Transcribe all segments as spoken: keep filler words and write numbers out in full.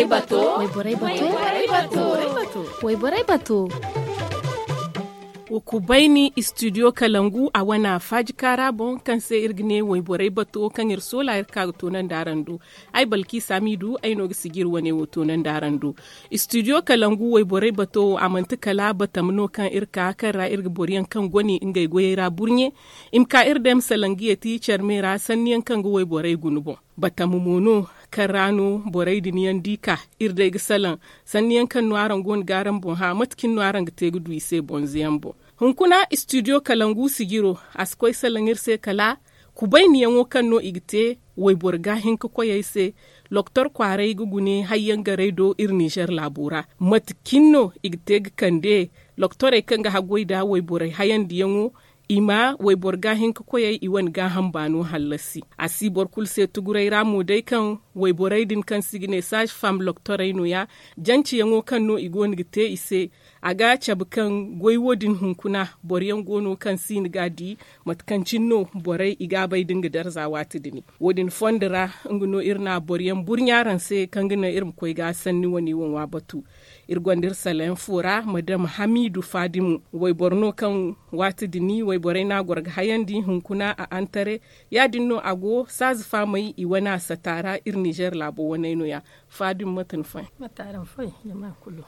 Wayborey bato. Wayborey bato. Wa kubayni istidiyo kalangu a wana faaji kaara boŋ kaŋ se iri ga ne wayborey bato kaŋ iri soola iri ka ga toonandi araŋ do. Ay balki saamiidu ay no ga sijiri wane wo toonandi araŋ do. Istidiyo kalangu wayborey bato wo a manti kala batam no kaŋ iri ka kaŋ ra iri ga boro yaŋ kaŋ gone ngey goyey ra burɲe. I ma ka iri day ma salaŋ ga yeeti care me ra sanni yaŋ kaŋ ga wayborey guna boŋ. Batama mo no kaŋ ra no borey din yaŋ di ka iri day ga salaŋ sanni yaŋ kaŋ no araŋ go no ga araŋ boŋ hã mate cine no araŋ ga te ga du i se bonze yaŋ boŋ. Hunkuna istidiyo kalangu sijiro a si koy salaŋ iri se kala kubayniyaŋo kaŋ no i ga te wayboro ga hinka koyey se. Loktor kwaaray ga gune hayyaŋ garay do iri nizer laabo ra mate cine no i ga te ga kande loktorey kaŋ ga haggoy nda wayborey hayandiyaŋo. I ma wayboro ga hinka koyey i wane gaaham baano hallasi a si boro kulu se tuguray ra mo day kaŋ wayborey din kaŋ se i ga ne saazi fam loktorey no- ya. Janceyaŋo kaŋ no i go no ga te i se a ga cabe kaŋ goy wo- din hunkuna boro yaŋ go no kaŋ si ni ga a di mate kaŋ cine no borey i ga a bay da nga darza waati din. Wo- din fondo ra nga no iri na boro yaŋ burɲa araŋ se kaŋ ga naŋ iri ma koy ga sanni wane wo ŋwa batu. Iri gonda iri salayaŋ fo ra madam hamiidu faadimu wayboro no kaŋ waati din wayborey no a goro ga hayandi hunkuna a antare. Ya- din no a go saazi faamey i wane a sata ra iri nizer laabo waney no- ya. Faadimu mate ni foy?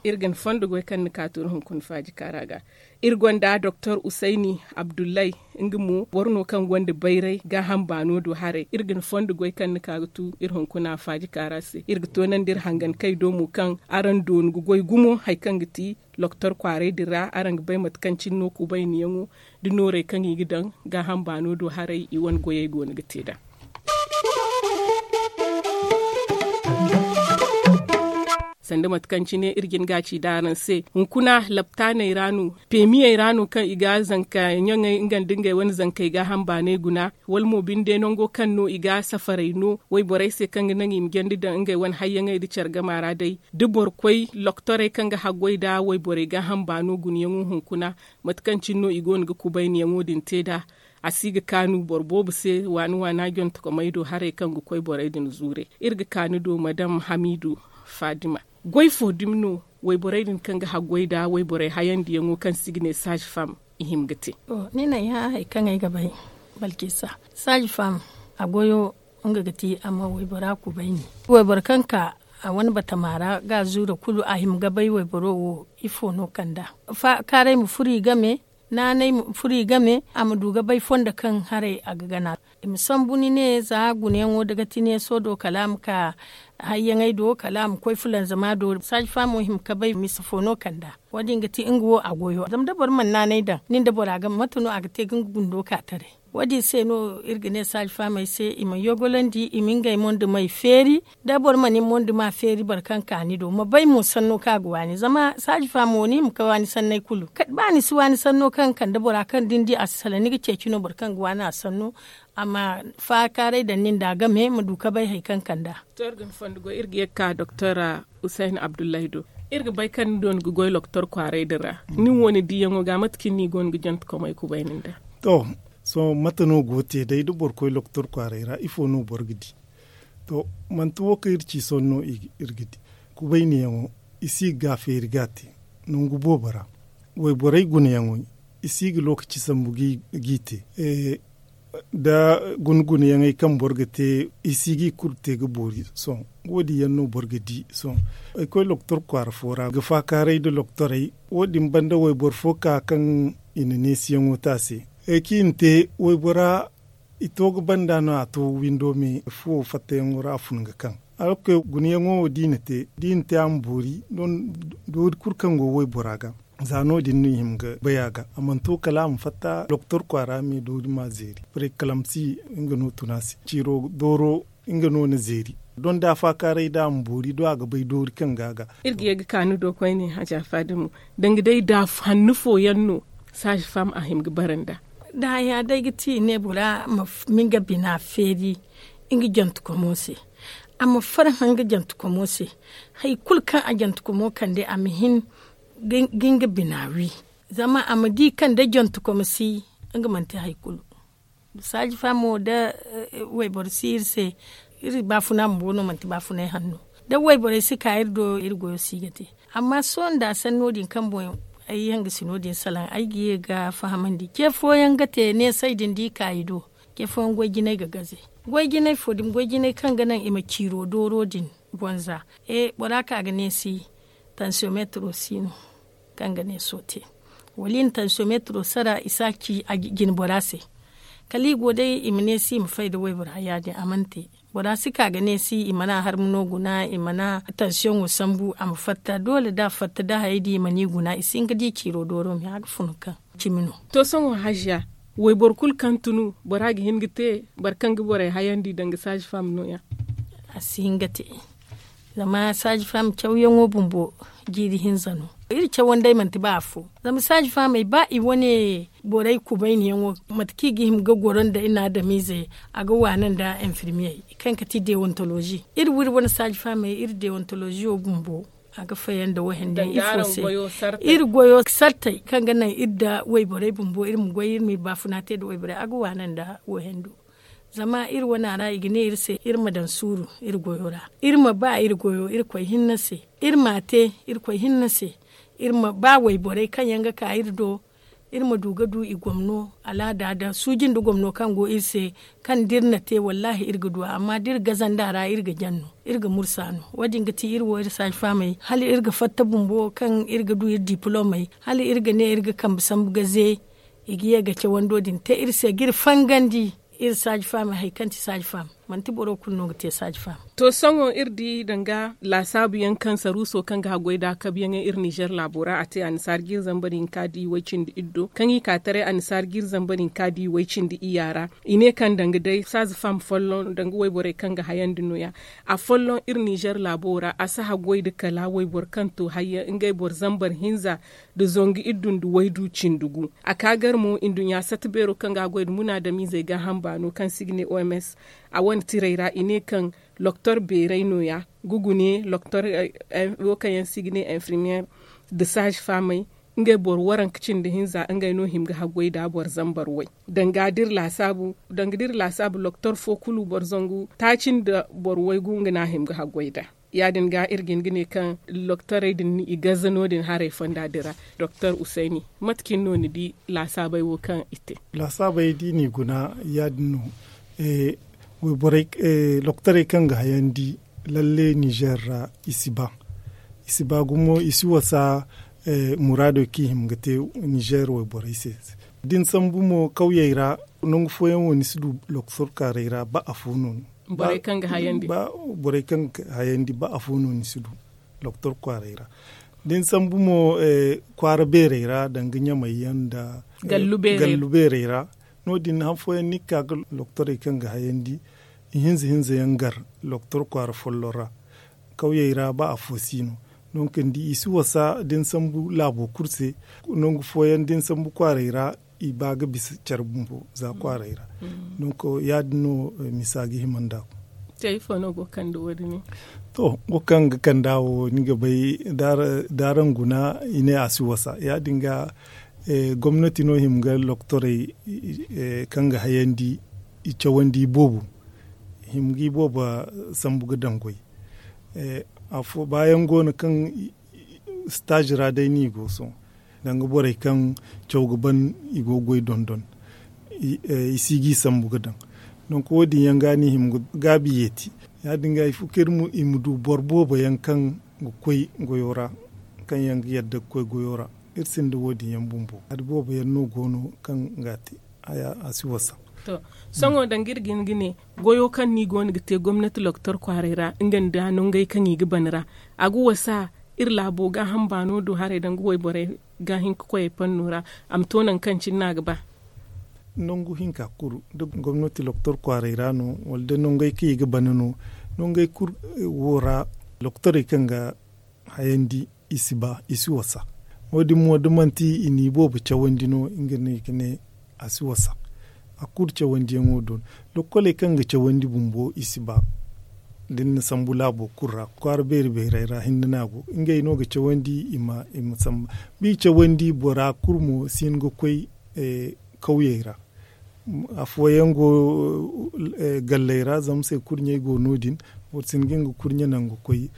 Iri ga ni fondo goy kaŋ ni ka to iri hunkuna faaji kaara ga. Iri gonda doktor usayni abdullay, nga mo boro no kaŋ gonda bayray gaaham baano do haray iri ga ni fondo goy kaŋ ni ka ga tu iri hunkuna faaji kaara se iri ga toonandi iri hangan kay do mo kaŋ araŋ doonu ga goy gumo hari kaŋ ga ti loktor kwaaray din ra araŋ ga bay mate kaŋ cine no kubayniyaŋo da noorey kaŋ i ga daŋ gaaham baano do haray i wane goyey go no ga te nd'a. Sanda mate kaŋ cine iri jin ga a ci nd'a araŋ se hunkuna laptaaney ra no, peemiyey ra no kaŋ i ga zanka ɲaŋey nga nda ngey wane zankey gaaham baanay guna wala mo binde nango kaŋ no i ga safarey no wayborey se kaŋ ga naŋ i ma jandi daŋ ngey wane hayyaŋey nda care gama ra day. Da boro koy loktorey kaŋ ga haggoy nda wayborey gaaham baano gunayaŋo hunkuna mate kaŋ cine no i go no ga kubayniyaŋo din te nd'a. A si ga kaanu boro boobo se waani waana jontokomey do haray kaŋ ga koy borey din zuure. Iri ga kaanu do madam hamiidu faadima. Goy fo dumi no wayborey din kaŋ ga haggoy nda wayborey hayandiyaŋo kaŋ se i ga ne saazi fam i hima ga te? Ni na ay hã hari kaŋ ay ga bay. Balkisa, saazi fam a goyo nga ga ti a ma waybora kubayni. Wayboro kaŋ ka a wane batama ra ga a zuura kulu a hima ga bay wayboro wo ifo no kand'a? Kaaray ma furo i game, naanay ma furo i game a ma du ga bay fondo kaŋ haray a ga gana. I ma sambu ni ne za gunayaŋo da ga ti neeso do kala a ma ka hayyaŋey do kala a ma koy fulanzama do saazi faamo hima ga bay misa fo no kand'a? Wo- din ga ti nga wo a goyo zama da boro mana naanay daŋ nin da bora game mate no a ga te ga nga gundo ka taray? Wo- din se no iri ga ne saazi faamey se i ma yogolandi i ma ngey mondumey feeri. Da boro mana ni monduma feeri boro kaŋ ka ni do ma bay mo sanno kaŋ a ga waani zama saazi faamo ni hima ga waani sanney kulu ba ni si waani sanno kaŋ ga kande bora kaŋ da ni di a si salaŋ ni ga ceeci no boro kaŋ ga waani a sanno. A ma faakaaray daŋ nin da game ma du ga bay hari kaŋ kand'a. To iri ga ni fondo goy iri ga ye ga ka doktor hussein abdullahi do. Iri ga bay kaŋ ni doona ga goy loktor kwaaray din ra. Nin wo ni diiyaŋo ga mate kaŋ ni go no ga jantekomey kubayni nd'a? To, sohõ mate no go ga te day da boro koy loktor kwaaray ra ifo no boro ga di? To, manti wo kaŋ iri ci sohõ no iri ga di. Kubayniyaŋo i si ga feeri ga a te nangu boobo ra. Wayborey gunayaŋey i si ga lookaci sambu g'i te. Da guna gunayaŋey kaŋ boro ga te i si g'i kulu te ga boori sohõ. Wo- din yaŋ no boro ga di sohõ. Ay koy loktor kwaara fo ra ga faakaaray nda loktorey. Wo- din banda wayboro fo ka kaŋ i na neesiyaŋo te a se. Ay kaŋ i na te waybora i to ga banda no a to windo me fuwo fattayaŋo ra a fun ga kaŋ. Alorka gunayaŋo wo da i na te da i na te a ma boori. Doori kulu kaŋ go waybora ga za no- din no i hima ga bay a ga a mana to kala a ma fatta doktor kwaara me doori ma zeeri. Paray kalamsi nga no tun a se ciiro dooro nga no na zeeri. Don da a faakaaray da a ma boori do a ga bay doori kaŋ ga a ga. Iri ga ye ga kaanu do koyne haja faadimu danga day da hannu fooyaŋ no saazi fam a hima ga bara nd'a? Da haya day ga ti i ne bora ma nga bina feeri nga jantekomo se. A ma farhã nga jantekomo se. Hari kulu kaŋ a jantekomo kande a ma hin ga nga bina wi. Zama a ma di kaŋ da jantekomo si nga manti hari kulu. Saaji faamo da wayboro si iri se. Iri baafuna bumbo no manti baafunay hanno. Da wayborey si ka iri do iri goyo si ga te. Amma sohõ nda a sanno din kaŋ boŋ ay yaŋ ga si no- din salaŋ ay ga ye ga fahamandi ce fooyaŋ ga te neesay din da i ka i do. Ce fooyaŋ goy jinay ga gaze. Goy jinay fo din goy jinay kaŋ ga naŋ i ma ciiro dooro din bonza. E bora ka ga neesi tansiyometro si no kaŋ ga neeso te. Wala i na tansiyometro sara i si a ci a jine bora se. Kala i go day i ma neesi i ma fay da waybora ya- din a mana te. Bora si ka ga neesi i mana harma no guna i mana tansiyoŋo sambu a ma fatta doole da a fatta da hayey din i mana i guna i si hin ga di ciiro dooro me a ga funu kaŋ cimi no. To sohõ haziya, wayboro kulu kaŋ tunu bora ga hin ga te? Boro kaŋ ga borey hayandi danga saazi fam no- ya? A si hin ga te. Zama saazi fam cawyaŋo bumbo jiiri hinza no. Iri cawandey manti ba afo. Zama saazi famey ba i wane borey kubayniyaŋo mate kaŋ i ga hima ga goro nda i na adamiizey a ga waana nda infirmiyey kaŋ ga ti dewontolozi. Iri wiri wane saazi famey iri dewontoloziyo bumbo a ga fayan nda wayhandiyaŋ ifo se. Iri goyo sartey kaŋ ga naŋ iri nda wayborey bumbo iri ma goy iri ma iri baafuna te nda wayborey a ga waana nda wayhando. Zama iri wana ra i ga ne iri se iri ma daŋ suuru iri goyo ra. Iri ma ba iri goyo iri koy hinne se. Iri ma a te iri koy hinne se. Iri ma ba wayborey kaŋ yaŋ ga ka iri do iri ma du ga du i gomno alaada da suuji nda gomno kaŋ go iri se. Kaŋ da iri na te wallaahi iri ga du a amma da iri gaza nda a ra iri ga jaŋ no. Iri ga mursa no wo- din ga ti iri wo iri saaji faamey hala iri ga fatta bumbo kaŋ iri ga du iri dipilomey hala iri ga ne iri ga kambe sambu ga ze. I ga ye ga cawando din te iri se ga iri fangandi. Iri saaji faamey hari kaŋ ti saaji faam manti boro kulu no ga te saaji faam. To sohõ iri di danga laasaabu yaŋ kaŋ saruuso kaŋ ga haggoy nd'a kabuyaŋey iri ninzeer laabo ra a te annasaara jiiri zambar hinka da i way-cindi iddo kaŋ i ka taray annasaara jiiri zambar hinka da i way-cindi iyya ra. I ne kaŋ danga day saaji faam folloŋ danga wayborey kaŋ ga hayandi nooya. Afolloŋ iri ninzeer laabo ra a si haggoy nda kala wayboro kaŋ to hayyaŋ ngey boro zambar hinza nda zangu iddu nda waydu cindi gu. A ka gar mo nduɲɲa sata beero kaŋ ga a goy nda munaadamiizey gaaham baano kaŋ se i ga ne oms. A wane tirey ra i ne kaŋ loktor beerey nooya. Gugu ne loktor wo kaŋ yaŋ se i ga ne infirmiyeer nda saazi faamey. Ngey boro waranka cindi hinza ngey no hima ga haggoy nd'a boro zambar way. Danga da iri laasaabu loktor fo kulu boro zangu taaci nda boro waygu nga no a hima ga haggoy nd'a. Ya- din ga iri ga hin ga ne kaŋ loktorey din i gaza no- din haray fonda din ra. Doktor usayni, mate cine no ni di laasaabey wo kaŋ i te? Laasaabey da i n'i guna ya- din no. Wayborey, loktorey kaŋ ga hayandi lalle ninzeer ra i si ba. I si ba gumo i si wasa muraadey kaŋ i hima ga te ninzeer wayborey se. Da ni sambu mo kawyey ra nangu fooyaŋ wo ni si du loktor kwaaray ra ba afo no. Borey kaŋ ga hayandi ba afo no ni si du loktor kwaaray ra. Da ni sambu mo kwaara beerey ra danga ɲamay yaŋ nda gallu beerey ra. No- din han fooyaŋ ni ga ka ga loktorey kaŋ ga hayandi ihinza hinza yaŋ gar loktor kwaara folloŋ ra. Kawyey ra ba afo si no. Donk ni di i si wasa da ni sambu laabo kulu se. Nangu fooyaŋ da ni sambu kwaaray ra i ba ga bisa care bumbo za kwaaray ra. Donk ya- din no misa ga hima nd'a. Te ifo no go ga kande wo- din? To, wo kaŋ ga kand'a wo ni ga bay da araŋ guna i ne a si wasa ya- din ga. Gomnati no hima ga loktorey kaŋ ga hayandi i cawandi i boobo hima ga i boobo sambu ga daŋ goy. Afo baayaŋ go no kaŋ staazi ra day no i go sohõ. Danga borey kaŋ caw ga ban i go ga goy dondon i si ga i sambu ga daŋ. Donk wo- din yaŋ ga no i hima ga gaabi yeeti. Ya- din ga il faut kaŋ iri ma du boro boobo yaŋ kaŋ ga koy goyo ra kaŋ yaŋ ga yadda ga koy goyo ra. Iri sinda wo- din yaŋ bumbo hari boobo yaŋ no go no kaŋ ga a te. A si wasa. To, sohõ danga iri ga hin ga ne goyo kaŋ no i go no ga te gomnati loktor kwaaray ra nga nda nongey kaŋ i ga ban ra a ga wasa iri laabo gaaham baano do haray danga wayborey ga hin ga koy ay panno ra. A ma to nangu kaŋ cine no a ga ba. Nangu hinka kulu da gomnati loktor kwaaray ra no wala da nongey kaŋ i ga ban no nongey kulu wo ra loktorey kaŋ ga hayandi i si ba i si wasa. Wo- din mo da manti i n'i boobo cawandi no nga no i ga ne a si wasa. A kulu cawandiyaŋo do no. Lokkoley kaŋ ga cawandi bumbo i si ba da ni na sambu laabo kulu ra kwaara beeri beerey ra hinne no a go ngey no ga cawandi i ma samba. Ba i cawandi bora kulu mo si hin ga koy kawyey ra. Afooyaŋ go galley ra zama se kurɲey go no- din. Boro si hin ga nga kurɲe naŋ ga koy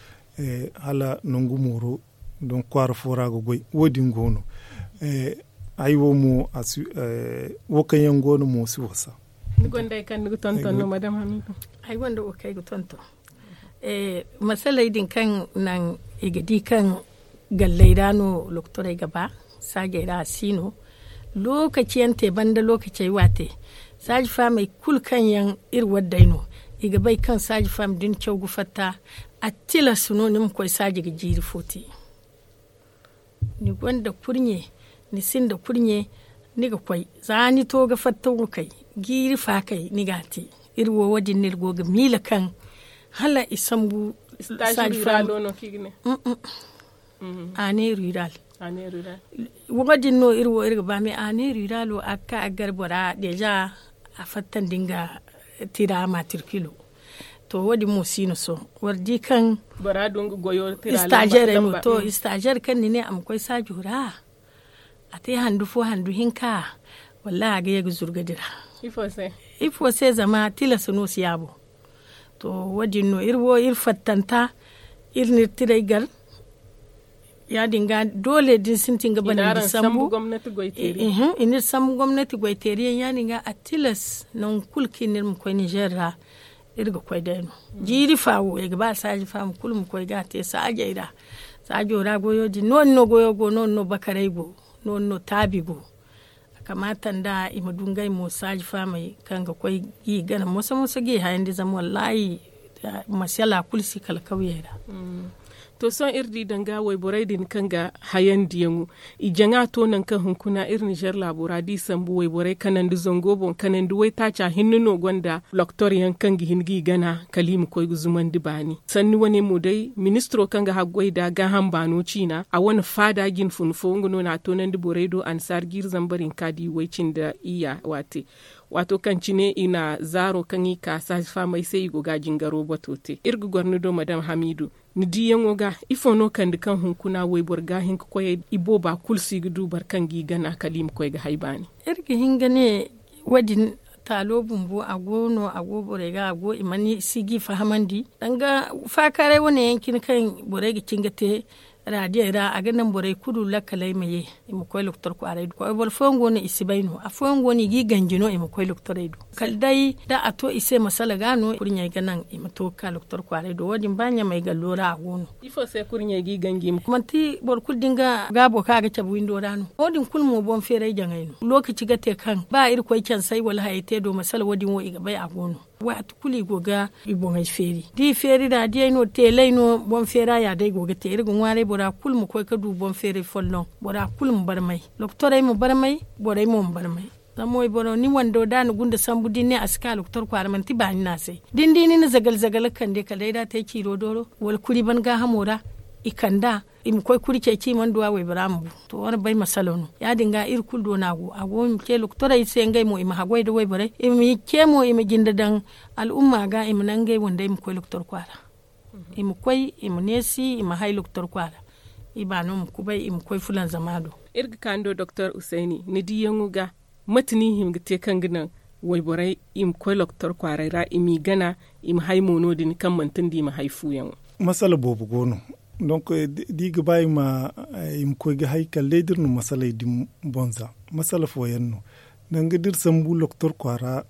hala nangu mooro, don kwaara fo ra ga goy wo- din go no. Ay wo mo wo kaŋ yaŋ go no mo si wasa. Ni gonda wo kaŋ ay ga tonton. Masaley din kaŋ naŋ i ga di kaŋ galley ra no lokotorey ga ba, saajey ra a si no. Lookaci yaŋ te banda lookacey waate, saaji faamey kulu kaŋ yaŋ iri waddey no, i ga bay kaŋ saaji faama da ni caw ga fatta, a tilas no ni ma koy saaji ga jiiri fo te. Ni gonda kurɲe, ni sinda kurɲe, ni ga koy za ni to ga fatta wo kay, jiiri faakay ni ga a te. Iri wo wo- din no iri go ga miila kaŋ hala i sambu saaji faama. A ne rural. Wo- din no iri wo iri ga ba me a ne rural wo a ga ka a ga gar bora deeza a fattandi nga tira matrikilo. To wo- din mo si no sohõ war di kaŋ istaazer ay mo to istaazer kaŋ ni ne a ma koy saajo ra, a te handu fo handu hinka, wallahi a ga ye ga zurga dira. Ifo se zama tilas no si yaabo. To wo- din no iri wo iri fattanta, iri na iri tiray gar. Ya- din ga doole da ni sintin ga bana ni sambu. I na iri sambu gomnati goy teeri yaŋ ya- din ga a tilas nangu kulu kaŋ i na iri ma koy nizer ra. Iri ga koy day no jiiri fa wo i ga ba saaji faama kulu ma koy ga a te saajey ra. Saajo ra goyo din no- din no goyo go no- din no bakaray go, no- din no taabi go. A kamaata nda i ma du ngey mo saaji faamey kaŋ ga koy ga i gana moso moso ga i hayandi zama wallaahi, masala kulu si kala kawyey ra. To sohõ iri di danga wayborey din kaŋ ga hayandiyaŋo, i jaŋa to nangu kaŋ hunkuna iri nizer laabo ra da i sambu wayborey kanandi zango boŋ kanandi waytaaca hinne no gonda loktor yaŋ kaŋ ga hin ga i gana kala i ma koy ga zumandi baani. Sanni wane mo day ministiro kaŋ ga haggoy nda gaaham baano ciina a wane faada jinfun fo nga no na a toonandi borey do annasaara jiiri zambar hinka da i way cindi iyya waate. Waato kaŋ cine i na zaaro kaŋ i ka saaji faamey se i go ga a jingaro bato te iri ga goro ni do madam hamiidu. Ni diiyaŋo ga ifo no kande kaŋ hunkuna wayboro ga hin ga koyey i booba kulu si ga du boro kaŋ ga i gana kala i ma koy ga hay baani. Iri ga hin ga ne wo- din taalo bumbo a go no a go borey ga a go i mana si ga i fahamandi danga faakaaray wane yaŋ cine kaŋ borey ga cin ga te raadiyey ra a ga naŋ borey kulu lakkaley ma ye. I ma koy lokotor kwaaray do boro fooyaŋ go no i si bay no afooyaŋ go no i ga i ganji no i ma koy lokotorey do kala day da a to i se masala ga no kurɲey ga naŋ i ma to ga ka lokotor kwaaray do wo- din ba ɲamey gallo ra a go no. Ifo se kurɲey ga i ganji i ma koy manti boro kulu din ga gaabo kaŋ a ga cabe windo ra no wo- din kulu mo boŋ feeray jaŋay no lookaci ga te kaŋ ba irkoy cansay wala hayey te do masala wo- din wo i ga bay a go no. Waati kulu i go ga i boŋey feeri da i feeri raadiyey no teeley no boŋ feera ya day go ga te iri ga ŋwaaray bora kulu ma koy ga du boŋ feeray folloŋ. Bora kulu ma barmay lokotorey ma barmay borey mo ma barmay. Zama wayboro ni wando da a na gunda sambu da ni ne a si ka lokotor kwaara manti baani no a se da ni di ni na zagal zagal ga kande kala day da a te ciiro dooro wala kuri ban gaahamo ra. I kand'a i ma koy kuri ceeci i mana du a waybora ma bu. To wane bay masalo no ya- din ga iri kulu do no a go a go i ma ce lokotorey se ngey mo i ma haggoy nda wayborey i ma ce mo i ma jinde daŋ al'umma ga i ma naŋ ngey wandey ma koy lokotor kwaara. I ma koy i ma neesi i ma hay lokotor kwaara. I baano ma kubay i ma koy fulanzama do. Iri ga ka ni do doktor usayni ni diiyaŋo ga mate no i hin ga te kaŋ ga naŋ wayborey i ma koy lokotor kwaaray ra i m'i gana i ma hay mo no- din kaŋ manti nda i ma hay fuuyaŋo? Masala boobo go no. Donk da i ga ba i ma koy ga hay kala day da iri na masaley din boŋ za masala fooyaŋ no. Danga da iri sambu lokotor kwaara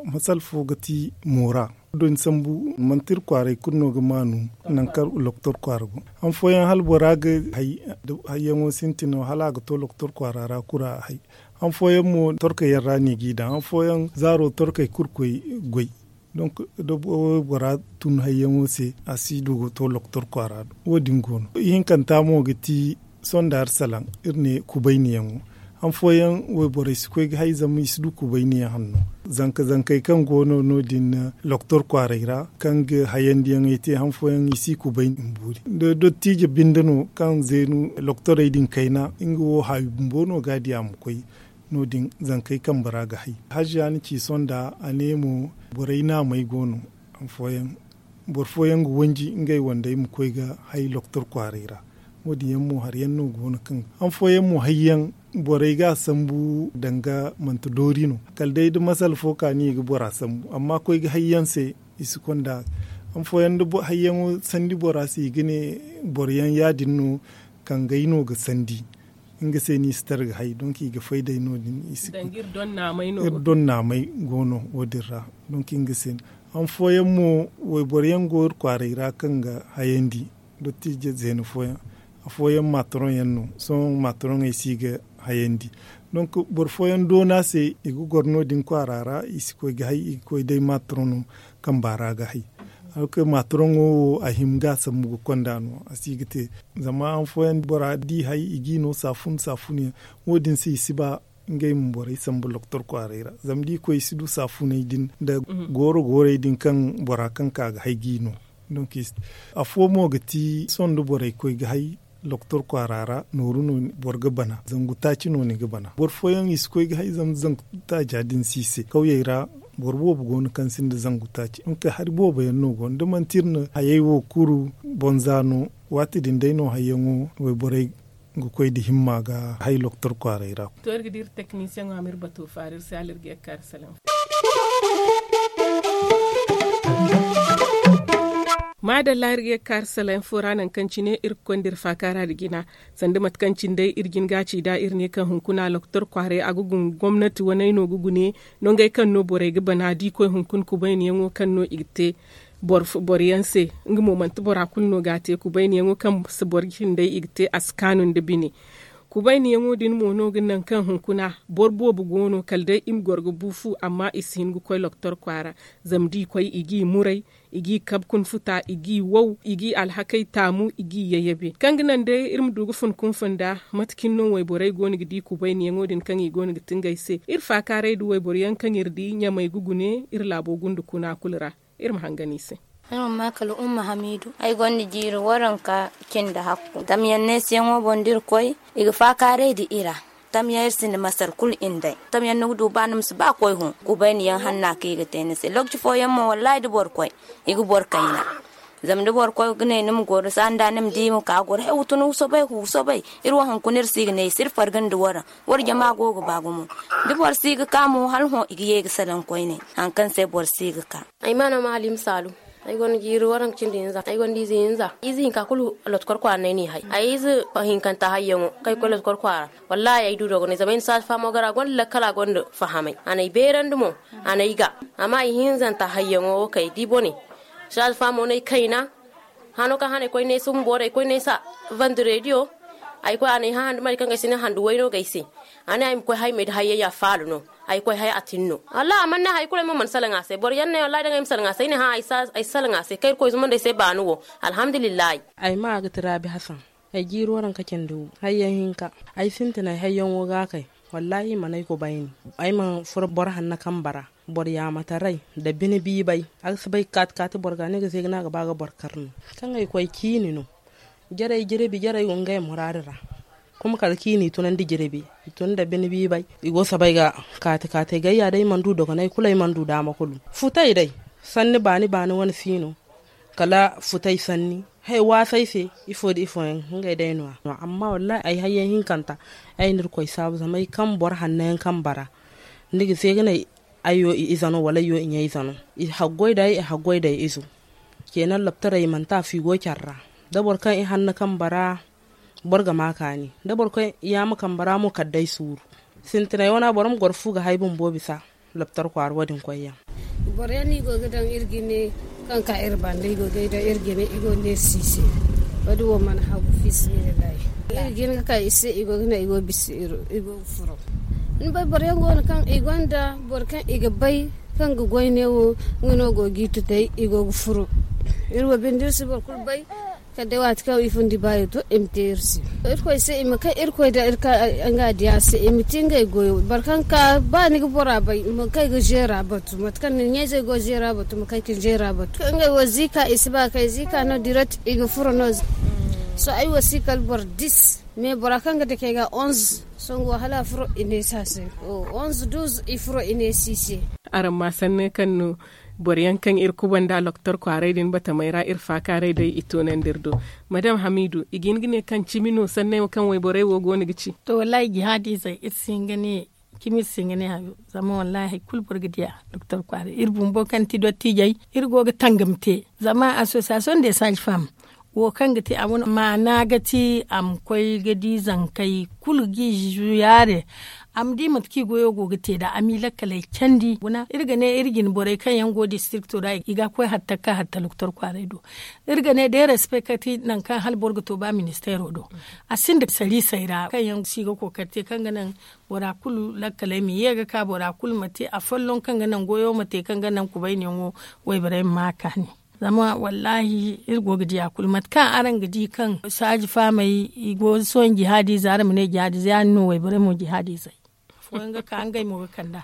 masala fo ga ti moora. Dooni sambu manti iri kwaaray kulu no ga maanu. Nangu kaŋ lokotor kwaara go han fooyaŋ hala bora ga hay hayyaŋo sintin no hala a ga to lokotor kwaara ra kulu a hay. Han fooyaŋ mo torkey yaŋ ra no i g'i daŋ han fooyaŋ zaaro torkey kulu koy goy. Donk da waybora tun hayyaŋo se a si du ga to lokotor kwaara do wo- din go no ihinkanta mo ga ti sonda iri salaŋ iri ne kubayniyaŋo. Han fooyaŋ wayborey si koy ga hay zama i si du kubayniyaŋ hanno. Zanka zankey kaŋ go no no- din lokotor kwaaray ra kaŋ ga hayandiyaŋey te han fooyaŋ i si kubayni ma boori da dottiije binde no kaŋ zeenu lokotorey din kayna nga wo haawi bumbo no ga a di a ma koy. No- din zankey kambe ra ga hay haziya na ci sonda a ne mo borey naamey go no. Han fooyaŋ boro fooyaŋ ga wanji ngey wandey ma koy ga hay lokotor kwaaray ra. Wo- din yaŋ mo hari yaŋ no go no kaŋ han fooyaŋ mo hay yaŋ borey ga a sambu danga manti doori no kala day da masala fo ka no i ga bora sambu amma koy ga hay yaŋ se. I si konda Fooyaŋ da hayyaŋo sandi bora se i ga ne boro yaŋ ya- din no, kangey no ga sandi. Nga se no i si tara ga hay donk i ga fay day no- din. Iri donnaamay go no wo- din ra. Donk nga se no han fooyaŋ mo wayboro yaŋ go iri kwaaray ra kaŋ ga hayandi. Dottiije zeena fooyaŋ, afooyaŋ maatoroŋ yaŋ no. Sohõ maatoroŋey si ga hayandi. Donk boro fooyaŋ doona se i ga goro no- din kwaara ra i si koy ga hay i ga koy day maatoroŋo. Kamba ra ga hay alkay maatoroŋo wo a hima ga a sambu ga konda no a si ga te. Zama han fooyaŋ bora di hay i g'i no saafun saafun yaŋ. Wo- din se i si ba ngey ma borey sambu loktor kwaaray ra zama da i koy i si du saafuney din nda gooro goorey din kaŋ bora kaŋ ka ga hay g'i no. Donk afo mo ga ti sohõ da borey koy ga hay loktor kwaara ra nooru no boro ga bana zangu taaci no ni ga bana boro fooyaŋ i si koy ga hay zama zangu taaca din si i se kawyey ra. Boro boobo go no kaŋ sinda zangu taaci donk hari boobo yaŋ no go no da manti iri na hayey wo kuru bonza no. Waati din day no hayyaŋo wayborey ga koy nda himma ga hay loktor kwaaray ra. To iri ga di iri teknisiyeŋo a ma iri bato faara iri se hala iri ga ye ga kaari salaŋ fo. Maadalla iri ga ye ga kaari salaŋ fo ra nangu kaŋ cine iri ga konda iri faakaara nda jina. Sanda mate kaŋ cine day iri jin ga a ci nd'a iri ne kaŋ hunkuna loktor kwaaray a ga guna gomnati waney no ga gune. Nongey kaŋ no borey ga bana da i koy hunkuna kubayniyaŋo kaŋ no i ga te. Boro yaŋ se nga mo manti bora kulu no ga a te kubayniyaŋo kaŋ si boro cindey i ga te a si kaanu nda bine. Kubayniyaŋo din mo no ga naŋ kaŋ hunkuna boro boobo go no kala day i ma goro ga bu fu amma i si hin ga koy loktor kwaara. Zama da i koy i g'i muray, i g'i kabe kuna futa i g'i wow i g'i alhakey taamu i g'i yayabe kaŋ ga naŋ day iri ma du ga fun kunfun nda. Mate cine no wayborey go no ga di kubayniyaŋo din kaŋ i go no ga ti ngey se iri faakaaray nda wayboro yaŋ kaŋ iri di ɲamey ga gune iri laabo gunda kuna kulu ra. Iri ma hangan i se. Ay mana ma kala umma hamiidu ay gonda jiiri waranka cindi hakku tamyaŋ neesiyaŋo boŋ da iri koy i ga faakaaray nda iri a. Tamyaŋ iri sinda masar kulu iri nd'ey tamyaŋ ni ga du ba ni ma si ba koy hõ. Kubayniyaŋ hanna kaŋ i ga te ni se lokaci fooyaŋ mo wallaahi da boro koy i ga boro kayna. Zama da boro koy ga ne ni ma goro sanda ni ma di i ma ka goro hay wa tun wa soobay wa soobay. Iri wo hunkuna iri si ga ne i se iri farga nda waraŋ. War jama go ga ba gumo da boro si ga ka mo hala hõ i ga ye ga salaŋ koyne. Hari kaŋ se boro si ga ka. Ay ma no ma halim saalu. Ay gonda jiiri waranka cindi hinza ay gonda ize hinza ize hinka kulu. Lotkor kwaara no ay n'i hay ay ize hinkanta hayyaŋo kaŋ ay koy lotkor kwaara. Wallaahi ay du dogonay zama ay na saaza faamo gar a gonda lakkal a gonda fahamay a n'ay beerandi mo. A n'ay ga amma ay hinzanta hayyaŋo wo kaŋ ay di bone. Saaza faamo no ay kayna. Hano kaŋ hano ay koy ne sumbo day ay koy ne sa vandirediyo. Ay koy a n'ay hã handu mari kaŋ ga ay si ne handu wayno ga ay se. A ne ay ma koy hay ma ay da hayyay a faalu no. Ay koy hay a tin no wallaahi a mana ne hari kulu ay mo mana salaŋ a se boro yaŋ ne wallaahi daŋ ay ma salaŋ a se ay ne hã ay si salaŋ a se kaŋ irkoy zumandi ay se baani wo. Alhamdulillahi. Ay ma ga ti raabi hasan. Ay jiiri waranka cindi wu hayyaŋ hinka. Ay sintinay hayyaŋo ga a kay. Wallaahi i mana ay kubayni. Ay mana furo boro hanna kamba ra. Boro yaamataray nda bine biibay. A ga si bay ga kaati kaati boro ga ne ga zeega no a ga ba ga boro kar no. Kaŋ ay koy ciini no. Jarey jirbi jarey go ngey muraadu ra. Kuma kala ciini i tunandi jirbi i tun nda bine biibay. I go soobay ga kaati kaati gayya day i mana du dogonay kulu ay mana du daama kulu. Futay day sanni baani baani wane si no. Kala futay sanni hay waasay se. Ifo nda ifooyaŋ ngey day no- ya amma wallaahi ay hayyaŋ hinkanta. Ay na irkoy saabu zama ay kaŋ boro hanno yaŋ kaŋ bara. Ni ga se ga ne ay yo i ize no wala ay yo i ɲa-ize no. I haggoy da ay i haggoy da ay izo. Ceena lobtaray i mana te afo i go care ra. Da boro kaŋ i hanno kaŋ bara boro ga ma kaani. Da boro kaŋ yaama kaŋ bara mo kala day suuru. Sintinay wane boro ma goro fu ga hay bumbo bisa. Lobtar kwaara wo- din koyyaŋ. Boro yaŋ no i go ga daŋ iri ga ne kaŋ ka iri banda i go ga ay daŋ iri ga ne i go ga neesi i se. Wo- din wo mana hagu fi sabilillahi. Iri ga hin ga ka i se i go ga ne i go ga bisa iri i go ga furo. Ni bay boro yaŋ go no kaŋ i gonda boro kaŋ i ga bay kaŋ ga goy ne wo. Nga no go ga i tutay i go ga furo. Iri wo binde iri si boro kulu bay. Kala day waati kaŋ i fundi baayo to i ma te iri se. Irkoy se i ma kay irkoy da nga diya se i ma te ngey goyo boro kaŋ ka ba ni ga bora bay ma kay ga zeera batu mate kaŋ ni ɲa-izey go zeera batu ma kay ka ni zeera batu kaŋ ngey wo ziika i si ba kay ziika no direct i ga furo no. Sohõ ay wo si kala boro dis. Mais bora kaŋ ga dake ga onze. Songo hala a furo i ne sa se. Onze douze i furo i ne si se. Araŋ ma sanne kaŋ no boro yaŋ kaŋ iri kubanda loktor kwaaray din batamey ra iri faakaaray day i toonandi iri do. Madame hamiidu i ga hin ga ne kaŋ cimi no sanney wo kaŋ wayborey wo go no ga ci? To wallaahi jihaadiizey iri si hin ga ne Cimi se nga ne hayo zama wallahi hari kulu boro ga diya doktor kwaaray iri bumbo kaŋ ti dottiijey iri go ga tangam te. Zama asosiyasiyoŋ de saaji fam wo kaŋ ga te a wane maana ga ti a ma koy ga di zankey kulu ga i zuyaare. A ma di mate kaŋ i goyo go ga te nd'a a m'i lakkaley candi guna iri ga ne iri jine borey kaŋ yaŋ go distrikto ra i ga a koy hatta ga ka hatta doktor kwaaray do. Iri ga ne da iri respect ka ti nangu kaŋ hala boro ga to ba ministeero do. A sinda sariisey ra kaŋ yaŋ si ga kookari te kaŋ ga naŋ bora kulu lakkaley ma ye ga ka bora kulu ma te afolloŋ kaŋ ga naŋ goyo ma te kaŋ ga naŋ kubayniyaŋo wayborey ma ma a kaani. Zama wallaahi iri go ga di a kulu mate kaŋ araŋ ga di kaŋ saaji faamey i go sohõ jihaadiize araŋ ma ne jihaadiize ya- din no wayborey mo jihaadiizey. Afooyaŋ ga ka ngey mo ga kand'a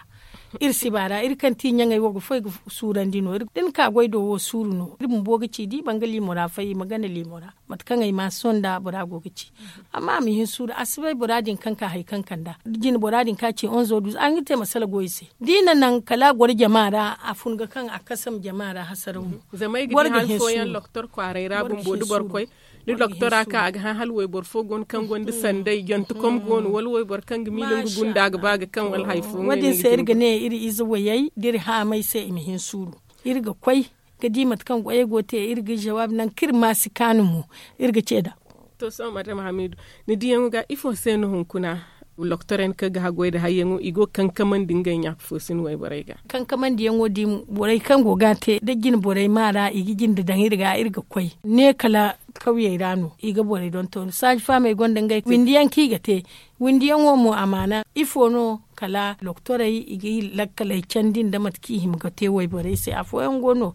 iri si ba ra iri kaŋ ti ɲaŋey wo ga foy ga suurandi no da ni ka goy do wo suuru no iri bumbo ga ci da i ba nga liimo ra fay i ma gana liimo ra. Mate kaŋ ay ma sohõ nda bora go ga ci amma a ma hin suuru a si bay bora din kaŋ ka hari kaŋ kand'a jine bora din kaŋ a ci onzo duuza a ga te masala go i se da i na naŋ kala a goro jama ra a fun ga kaŋ a kasam jama ra hasaraw no. Zama ay ga di hari fooyaŋ doktor kwaaray ra bumbo da boro koy da doktor a ka a ga hã hala wayboro fo go no kaŋ gonda sanday jantekom go no wala wayboro kaŋ ga miila nga gunda ga ba ga kaŋ wala hari fo wo- din se iri ga ne iri ize wayey da iri haamay se i ma hin suuru. Iri ga koy ga di mate kaŋ goyey go ga te iri ga jawaabi nangu kaŋ iri ma si kaanu mo iri ga ce nd'a. To sohõ madam hamiidu ni diyaŋo ga ifo se no hunkuna? Loktorey kaŋ ga haggoy nda hayyaŋo i go ga kankamandi ngey ɲaaka fo sin wayborey ga. Kankamandiyaŋo din borey kaŋ go ga a te da jine borey ma ra i ga jinde daŋ iri ga iri ga koy ne kala kawyey ra no i ga borey donton saaji faamey gonda ngey windiyaŋ kaŋ i ga te. Windiyaŋo mo amaana ifo no kala doktorey i ga i lakkaley candi nda mate kaŋ i hima ga te wayborey se afooyaŋ go no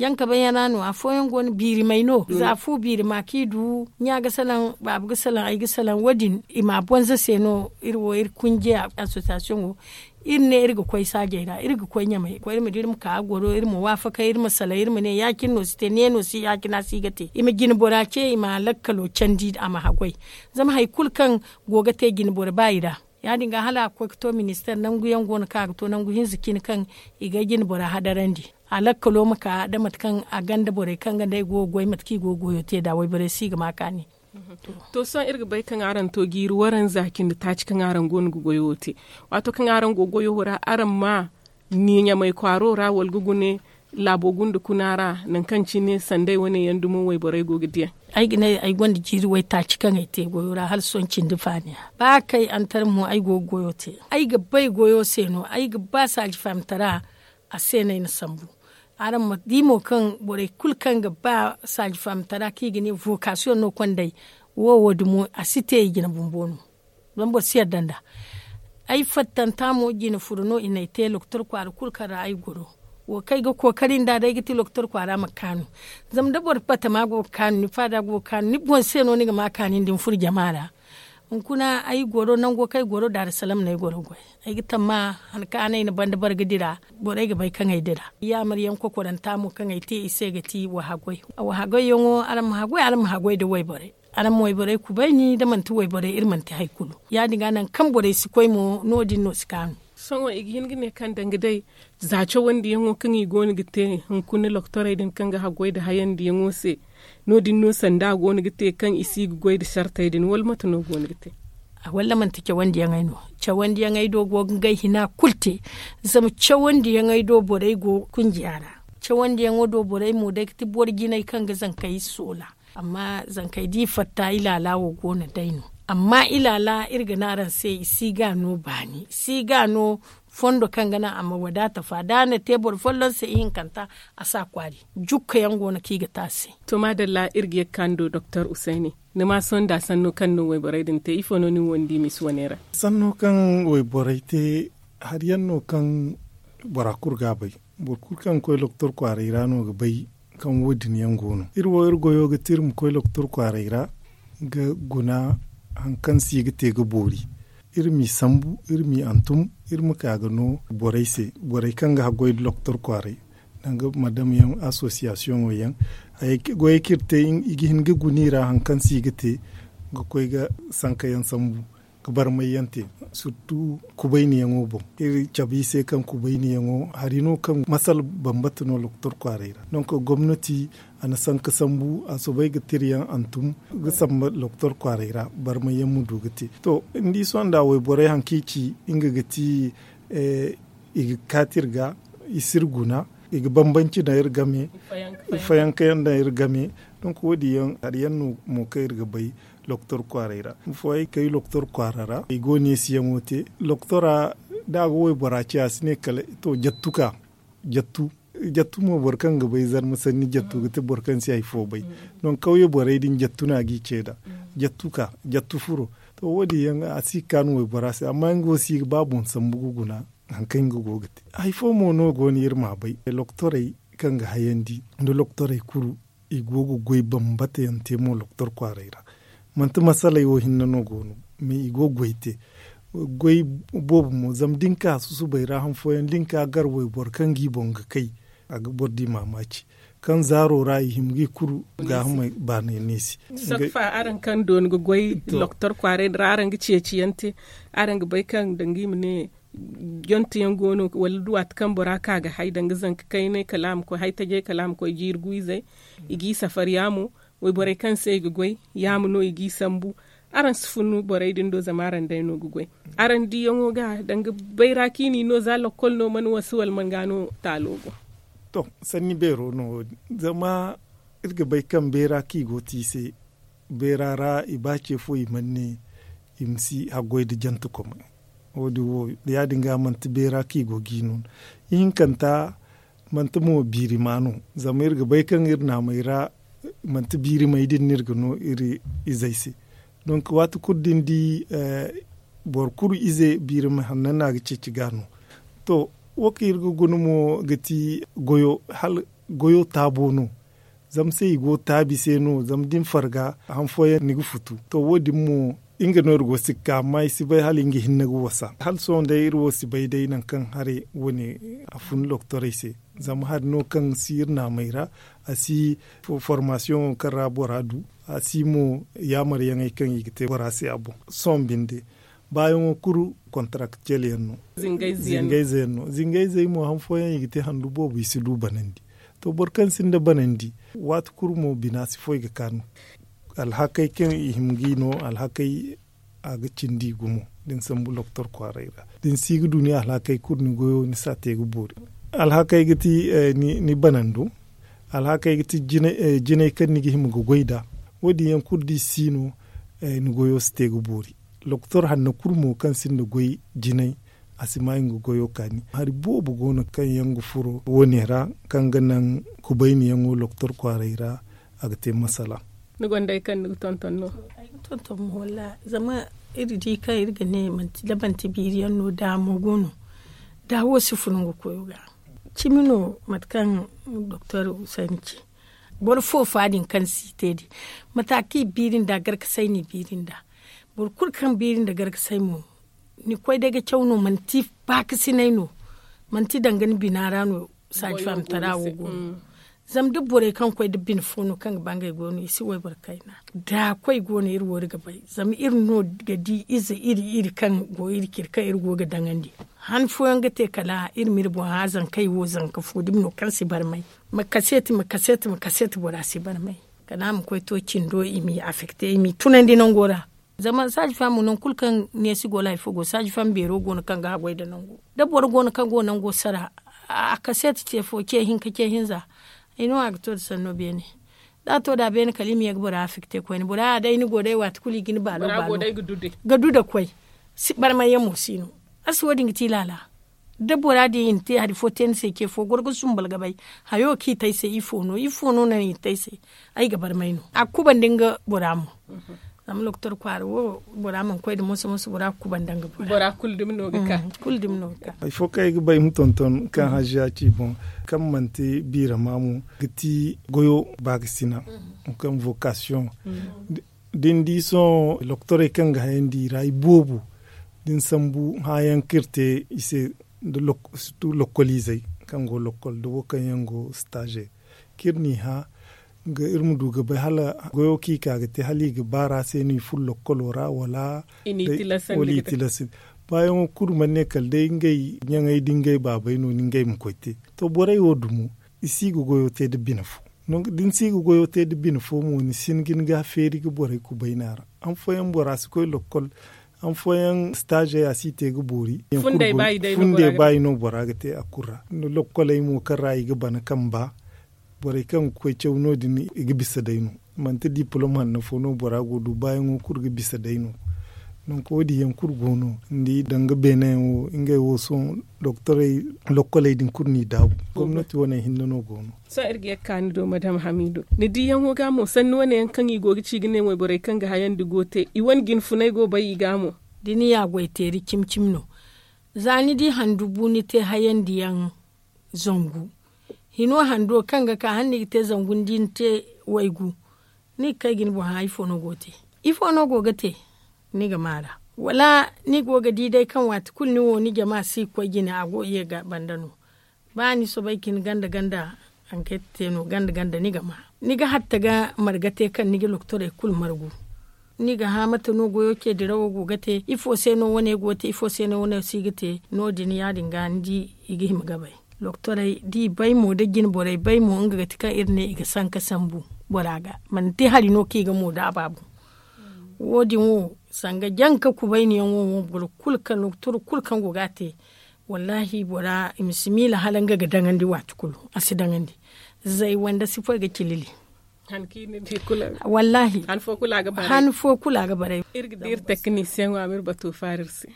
jankabayyaŋ ra no afooyaŋ go no biirimey no za fu biirima kaŋ i du ɲa ga salaŋ baaba ga salaŋ ay ga salaŋ wo- din i ma a bonza se no iri wo iri kunjiya asosiyasiyoŋo. Iri ne iri ga koy saajey ra iri ga koy ɲamay koy iri ma di iri ma ka a goro iri ma waafakay iri ma salay iri ma ne ya- cine no si te ne no si ya- cina si ga te i ma jine bora ce i ma a lakkalo candi a ma haggoy. Zama hari kulu kaŋ go ga te jine boro ba i ra ya- din ga hala a ga koy ga to ministeer nangu yaŋ go no kaŋ a ga to nangu hinza cine kaŋ i ga ay jine bora hadarandi a lakkalo ma ka da mate kaŋ a ganda borey kaŋ ga day go ga goy mate kaŋ i go ga goyo te nd'a wayborey se i ga ma kaani. To sohõ iri ga bay kaŋ araŋ to jiiri waranza cindi taaci kaŋ araŋ go no ga goyo wo te waato kaŋ araŋ go ga goyo wo ra araŋ ma ni ɲamay kwaaro ra wala ga gune laabo gunda kuna ra nangu kaŋ cine sanday wane yaŋ dumo wayborey go ga diyaŋ. Ay ga ne ay gonda jiiri waytaaci kaŋ ay te goyo ra hala sohõ cindi faaniya ba kay antar mo ay go ga goyo te ay ga bay goyo se no ay ga ba saaji faamtara. A se no ay na sambu araŋ ma di mo kaŋ borey kulu kaŋ ga ba saaji faamtara kaŋ i ga ne vokasiyoŋ no kondey wo wo- din mo a si te i jine bumbo no. Zama boro si yadda nd'a ay fattanta mo jine furo no i n'ay te lokotor kwaara kulu kaŋ ra ay goro wo kaŋ ay ga kookari nd'a day ga ti lokotor kwaara ma kaanu. Zama da boro batama go ga kaanu ni faada go ga kaanu ni boŋ se no ni ga ma kaani nda ni furo jama ra. Hunkuna ay goro nango kaŋ ay goro daari salam no ay goro goy. Ay ga tamma han kaŋ a ne ay na banda bare ga dira borey ga bay kaŋ ay dira. Yaamar yaŋ kokoranta mo kaŋ ay te i se ga ti wa haggoy. Wa haggoy yaŋo araŋ ma haggoy araŋ ma haggoy nda wayborey. Araŋ ma wayborey kubayni da manti wayborey iri manti hari kulu. Ya- din ga nangu kaŋ borey si koy mo no- din no si kaanu. Sohõ i ga hin ga ne kaŋ danga day za cawandiyaŋo kaŋ i go no ga te hunkuna lokotorey din kaŋ ga haggoy nda hayandiyaŋo se. No- din no sanda go no ga te kaŋ i si ga goy nda sartey din wala mate no go no ga te? Walla manti cawandiyaŋey no? Cawandiyaŋey do go ga ngey hina kulu te. Zama cawandiyaŋey do borey go kunjiya ra. Cawandiyaŋo do borey mo day ga ti boro jinay kaŋ ga zankey soola. Amma zankey da i fatta ilaala wo go no day no. Amma ilaala iri ga ne araŋ se i si ga no baani i si ga no. Fondo kaŋ ga naŋ a ma wadaata fa da a na te boro folloŋ se ihinkanta a si a kwaari. Jukka yaŋ go no kaŋ i ga te a se. To maadalla iri ga ye ga ka ni do doktor usayni. Ni ma sohõ nda sanno kaŋ no wayborey din te ifo no ni wo ni di misi wane ra? Sanno kaŋ wayborey te hari yaŋ no kaŋ bora kulu ga a bay. Boro kulu kaŋ ga koy lokotor kwaaray ra no ga bay kaŋ wo- din yaŋ go no iri wo iri goyo ga ti iri ma koy lokotor kwaaray ra ga guna hari kaŋ se i ga te ga boori. Iri m'i sambu iri m'i hantum iri ma ka ga no borey se borey kaŋ ga haggoy nda lokotor kwaaray danga madam yaŋ asosiyasiyoŋo yaŋ. Goyey kaŋ iri te i ga hin ga guna i ra hari kaŋ se i ga te ga koy ga sanka yaŋ sambu. ga barmay yaŋ te, sirtu kubayniyaŋo boŋ. Iri cabe i se kaŋ kubayniyaŋo hari no kaŋ masala bambata no doktor kwaaray ra. Donk gomnati a na sanka sambu a soobay ga tira yaŋ hantum ga samba doktor kwaaray ra barmay yaŋ ma du ga te. To, ni di sohõ nda wayborey hari kaŋ i ci nga ga ti i ga kaati iri ga, i si iri guna, i ga bambanci daŋ iri game, fayanka yaŋ daŋ iri game. Donk wo- din yaŋ hari yaŋ no mo kaŋ iri ga bay doktor kwaaray ra. Boro fooyaŋ ay kay doktor kwaara ra i go neesiyaŋo te. Doktora da a ga waybora ce a si ne kala to jattu ka jattu. Jattu mo boro kaŋ ga bay zarma sanni jattu ga ti boro kaŋ si hari fo bay. Donk kawye borey din jattu no a g'i ce nd'a. Jattu ka jattu furo. To wo- din yaŋ a si ga kaanu waybora se amma nga wo si ga ba boŋ sambu ga guna hari kaŋ nga go ga te. Hari fo mo no go no iri m'a bay doktorey kaŋ ga hayandi nda doktorey kulu i go ga goy bambata yaŋ te mo doktor kwaaray ra. Manti masaley wo hinne no go no mais i go ga goy te. Goy boobo mo zama da ni ka susubay ra han fooyaŋ da ni ka gar wayboro kaŋ g'i boŋ ga kay a ga boro di maamaaci. Kaŋ zaaro ra i hima g'i kuru gaahamey baanay neesi. Sokfa araŋ kaŋ dooni ga goy doktor kwaaray din ra araŋ ga ceeci yaŋ te araŋ ga bay kaŋ danga i ma ne jonte yaŋ go no wala da waati kaŋ bora ka ga hay danga zanka kaynay kala a ma koy hay tajay kala a ma koy jiiri gu izey. I g'i safar yaamo wayborey kaŋ se i ga goy yaamo no i g'i sambu. Araŋ si fun borey din do zama araŋ day no ga goy. Araŋ diyaŋo ga danga bayra kaŋ i n'i no za lokkol no mana wasa wala mana ga no taalo go. To, sanni beero no wo- din zama iri ga bay kaŋ bayra kaŋ i go te i se bayra ra i ba ce fo i mana ne i ma si haggoy nda jante komay. Wo- din wo ya- din ga manti bayra kaŋ i go ga i no no. Ihinkanta manti mo biirima no. Zama iri ga bay kaŋ iri naamey ra manti biirimey din no iri ga no iri izey se. Donk waati kulu da ni di boro kulu ize biirima hanno no a ga ceeci ga no. To, wo kaŋ iri ga guna mo ga ti goyo hala goyo taabo no. Zama se i go taabi se no zama da ni farga han fooyaŋ ni ga futu. To wo- din mo nga no iri go si ga ka amma i si bay hala nga hinne ga wasa hala sohõ day iri wo si bay day nangu kaŋ haray wane a fun doktorey se. Zama hari no kaŋ si iri naamey ra a si formasiyoŋo kaŋ ra bora du a si mo yaamaryaŋey kaŋ i ga te bora se a boŋ. Sohõ binde baayaŋo kulu kontarakciyel yaŋ no. Zingayze yaŋ no zingayzey mo han fooyaŋ i ga te handu boobo i si du banandi. To boro kaŋ sinda banandi waati kulu mo bina si foy ga kaanu. Alhakey kaŋ i hima ga i no alhakey a ga cindi i gumo da ni sambu doktor kwaaray ra da ni si ga du ni alhakey kulu ni goyo ni si a te ga boori. Alhakey ga ti ni banando. Alhakey ga ti jinay kaŋ ni ga hima ga goy nd'a. Wo- din yaŋ kulu da i si no ni goyo si te ga boori. Doktor hanno kulu mo kaŋ sinda goy jinay a si ma nga goyo kaani. Hari boobo go no kaŋ yaŋ ga furo wo- ne ra kaŋ ga naŋ kubayniyaŋo doktor kwaaray ra a ga te masala. Ni gonda hari kaŋ ni ga tonton no? Ay ga tonton mo wallaahi zama iri di kaŋ iri ga ne manti da manti biiri yaŋ no daamo go no. Daawo si fun nga koyo ga. Cimi no mate kaŋ doktor husayni ci. Boro foofa din kaŋ si te din mata kaŋ i biiri nd'a garkasay no i biiri nd'a. Boro kulu kaŋ biiri nda garkasay mo ni koy day ga caw no manti baakasinay no. Manti danga ni bina ra no saaji faamtara wo go no. Zama da borey kaŋ koy da bine fo no kaŋ ga ba ngey go no i si wayboro kayna. Da koy go no iri wo iri ga bay zama iri no ga di ize iri iri kaŋ go iri cire kaŋ iri go ga daŋandi. Han fooyaŋ ga te kala iri ma iri boŋ hã zankey wo zanka fo dumi no kaŋ si barmay. Ma kaseeti ma kaseeti ma kaseeti bora si barmay. Kala a ma koy to cindo i m'i afekte i m'i tunandi nango ra. Zama saaji faamo nangu kulu kaŋ neesi go laay fo go saaji faamo beero go no kaŋ ga haggoy nda nango. Da boro go no kaŋ go nango sara a kaseeti ce fo ce hinka ce hinza. Ay no a ga to nda sanno beene. Da a to nd'a beene kala i ma ye ga bora afekte koyne bora ya day ni go day waati kulu i ga ni baalo baalo ga du nda koy. Barmayyaŋ mo si no. Arsi wo- din ga ti laala. Da bora din i na te hari fo te ni se ce fo goro ga sumbal ga bay. Hayo kaŋ i te ay se ifo no ifo no naŋ i na te ay se? Ay ga barmay no a ga kubandi nga bora mo. Zama doktor kwaara wo bora mana koy nda moso moso bora ga kubandi nga bora. Bora kulu dumi no ga ka. Kulu dumi no ga ka. Hari fo kaŋ ay ga ba ay ma tonton kaŋ haziya ci boŋ kaŋ manti biirama mo ga ti goyo baakasina. Kaŋ vokasiyoŋ da ni di sohõ doktorey kaŋ ga hayandi i ra i boobo da ni sambu hãayaŋ kaŋ iri te i se. Nda lokkoliizey kaŋ go lokkol nda wo kaŋ yaŋ go staaze kaŋ iri n'i hã. Iri ma du ga bay hala goyo kaŋ i ka ga te hala i ga baar'a se no i furo lokkolo ra wala i tilasandi. Baayaŋo kulu mana ne kala day ngey ɲaŋey da ngey baabey no ni ngey ma koy te. To borey wo dumo i si ga goyo te nda bine fo. Da ni si ga goyo te nda bine fo mo ni si ni ga ni ga feeri ga borey kubayna ra. Han fooyaŋ bora si koy lokkol. Han fooyaŋ staazey a si te ga boori. Funday baayi no bora ga te a kulu ra. Lokkoley mo kaŋ ra i ga bana kamba borey kaŋ ga koy caw no- din i ga bisa day no. Manti diplom hanno fo no bora go du baayaŋo kulu ga bisa day no. Donk wo- din yaŋ kulu go no ni di danga beene yaŋ wo ngey wo sohõ doktorey lokkoley din kulu no i daabu. Gomnati wane hinne no go no. Sohõ iri ga ye ga ka ni do madam hamiidu ni diyaŋo ga mo sanni wane yaŋ kaŋ i go ga ci ga ne wayborey kaŋ ga hayandi go te i wane jinfunay go bay i ga mo. Da ni ya goy teeri cimi cimi no. Za ni di handu bu ni te hayandiyaŋ zangu. Hino hando kaŋ ga ka hala ni ga te zangu ni di ni te waygu. Ni ga kay ga ni boŋ hã ifo no go ga te? Ifo no go ga te? Ni ga maara wala ni go ga di day kaŋ waati kulu ni wo ni jama si ga koy jine a go ga ye ga banda no. Ba ni soobay ga hin ganda ganda haŋ kaŋ ay ga te no ganda ganda ni ga ma ni ga hatta ga marga te kaŋ ni ga loktorey kulu margu. Ni ga hã mate no goyo ce dirawo go ga te ifo se no wane go ga te ifo se no wane si ga te? No- din ya- din ga ni di i ga hima ga bay. Loktorey da i bay mo da jinborey bay mo nga ga ti kaŋ iri ne i ga sanka sambu bora ga. Manti hari no kaŋ i ga mo da a baabu. Wo- din wo sanga janka kubayniyaŋo mo boro kulu kaŋ loktor kulu kaŋ go ga a te. Wallaahi bora i ma si miila hala nga ga daŋandi waati kulu. A si daŋandi zay wanda si fo i ga cilili. Wallaahi han fo kulu a ga baray. Iri ga di iri teknisiyaŋo a ma iri bato faari iri se.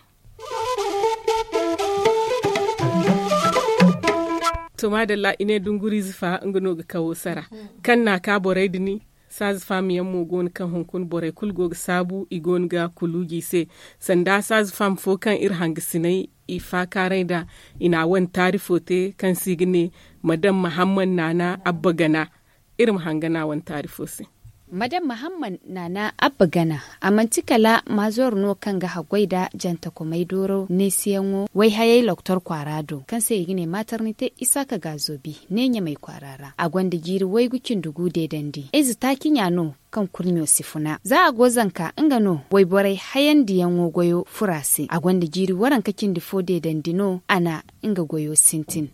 To maadalla i ne dunguriize fa nga no ga kawo sara kaŋ n'a ka borey din. Saaza faama yaŋ mo go no kaŋ hunkuna borey kulu go ga saabu i go no ga kuluuji i se. Sanda saaza faama fo kaŋ iri hangasinay i faakaaray nd'a i n'a wane taarifo te kaŋ se i ga ne madam mahamman naana abba gana. Iri ma hanga n'a wane taarifo se. Madam mahamman naana abba gana a manti kala maazoor no kaŋ ga haggoy nda jantakomey dooro neesiyaŋo wayhayey loktor kwaara do kaŋ se i ga ne maaternite isaaka gaazobi ne ɲamey kwaara ra a gonda jiiri waygu cindi gu deedandi ize taaci ɲa no. Kaŋ kurɲo si funa za a go zanka nga no wayborey hayandiyaŋo goyo furo a se a gonda jiiri waranka cindi fo deedandi no a na nga goyo sintin.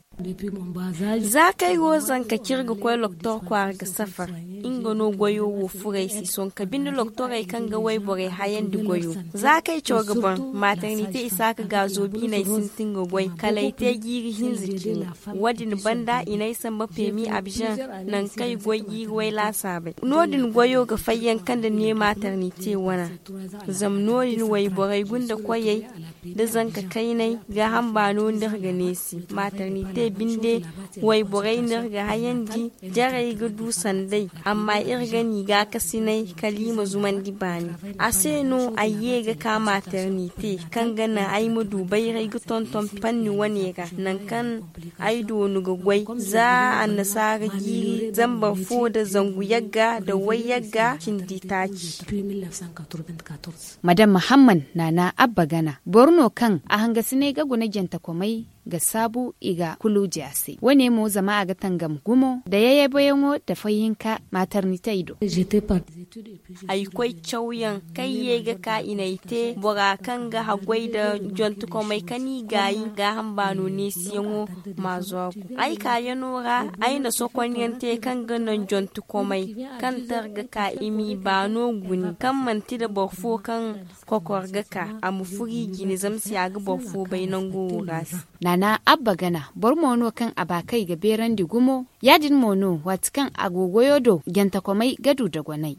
Za kaŋ ay go zanka cire ga koy loktor kwaara ga safar nga no goyo wo furo ay se sonka binde loktorey kaŋ ga wayborey hayandi goyo. Za kaŋ ay caw ga ban maaternite isaaka gaazo biiney sintin ga goy kala ay te jiiri hinza ciine. Wo- din banda i n'ay samba peemi abzan nangu kaŋ ay goy jiiri way laasaabey. No- din goyo ga fayyanka nda ne maaternite wana. Zama no- din wayborey gunda koyey da zanka kayney gaaham baano no iri ga neesi. Maaternite binde wayborey no iri ga hayandi jarey ga du sanday. Amma iri ga n'i gaakasinay kala i ma zumandi baani. A se no ay ye ga ka maaternite kaŋ ga naŋ ay ma du bayray ga tonton panni wane ra nangu kaŋ ay doonu ga goy za annasaara jiiri zambar fo nda zangu yagga nda way yagga cindi taaci. Madam mahamman naana abba gana boro no kaŋ a hangasinay ga guna jantakomey ga saabu i ga kuluuji a se wane mo zama a ga tangam gumo nda yayayboyaŋo nda fayhinka maaternitey do. Ay koy cawyaŋ kaŋ ye ga ka i n'ay te bora kaŋ ga haggoy nda jontukomey kaŋ i gaayi gaaham baano neesiyaŋo. Maazo a go ay kaayano ra ay na sokonyaŋ te kaŋ ga naŋ jontukomey kaŋ tar ga ka i m'i baano guni kaŋ manti nda boro fo kaŋ kokor ga ka a ma furo i jine zama se a ga boro fo bay nango wo ra se. Naana abba gana boro mo no kaŋ a ba kaŋ i ga beerandi gumo ya- din mo no waati kaŋ a go goyo do jantakomey ga du dogonay.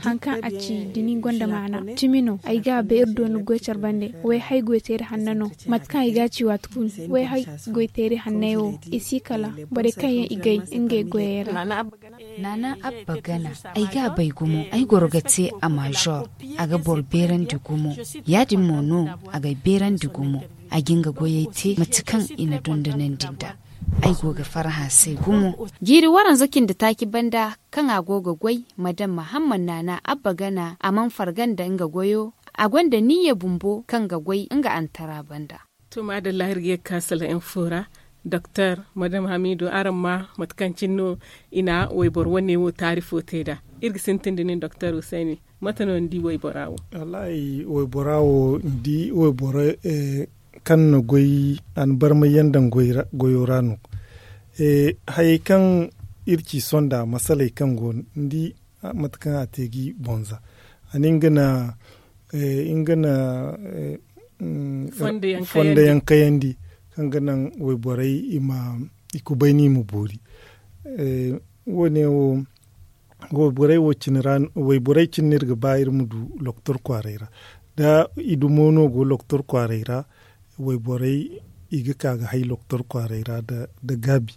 Haŋ kaŋ a ci da ni gonda maana cimi no ay ga a bay iri dooni goy care bande. Wayhay goyteeri hanno no mate kaŋ ay ga a ci waati kulu wayhay goyteeri hanney wo i si kala borey kaŋ yaŋ i gay ngey goyey ra. Naana abba gana ay ga a bay gumo ay goro ga te a maazor a ga boro beerandi gumo ya- din mo no a g'ay beerandi gumo. A ga nga goyey te mate kaŋ i na dondonandi nd'a ay go ga farhã se gumo. Jiiri waranza cindi taaci banda kaŋ a go ga goy madam mahamman naana abba gana a mana farga nda nga goyo. A gonda niyya bumbo kaŋ ga goy nga antara banda. To maadalla iri ga ye ga ka sala info ra. Doktor madam hamidu, araŋ ma mate kaŋ cine no i na wayboro wane wo taarifo te nd'a. Iri ga sintin da nin doktor husayni, mate no ni di waybora wo? Wallaahi, waybora wo ni di wayboro kaŋ na goy a na barmay yaŋ daŋ goyo ra no. Hayey kaŋ iri ci sonda masaley kaŋ go no ni di mate kaŋ a te ga i bonza a ne nga na nga na fondo yaŋ kayandi kaŋ ga naŋ wayborey i ma i kubayni i ma boori. Wo- ne wo wayborey wo cine ra wayborey cine no iri ga ba iri ma du loktor kwaaray ra. Da i dumo no go loktor kwaaray ra wayborey i ga ka ga hay loktor kwaaray ra nda gaabi.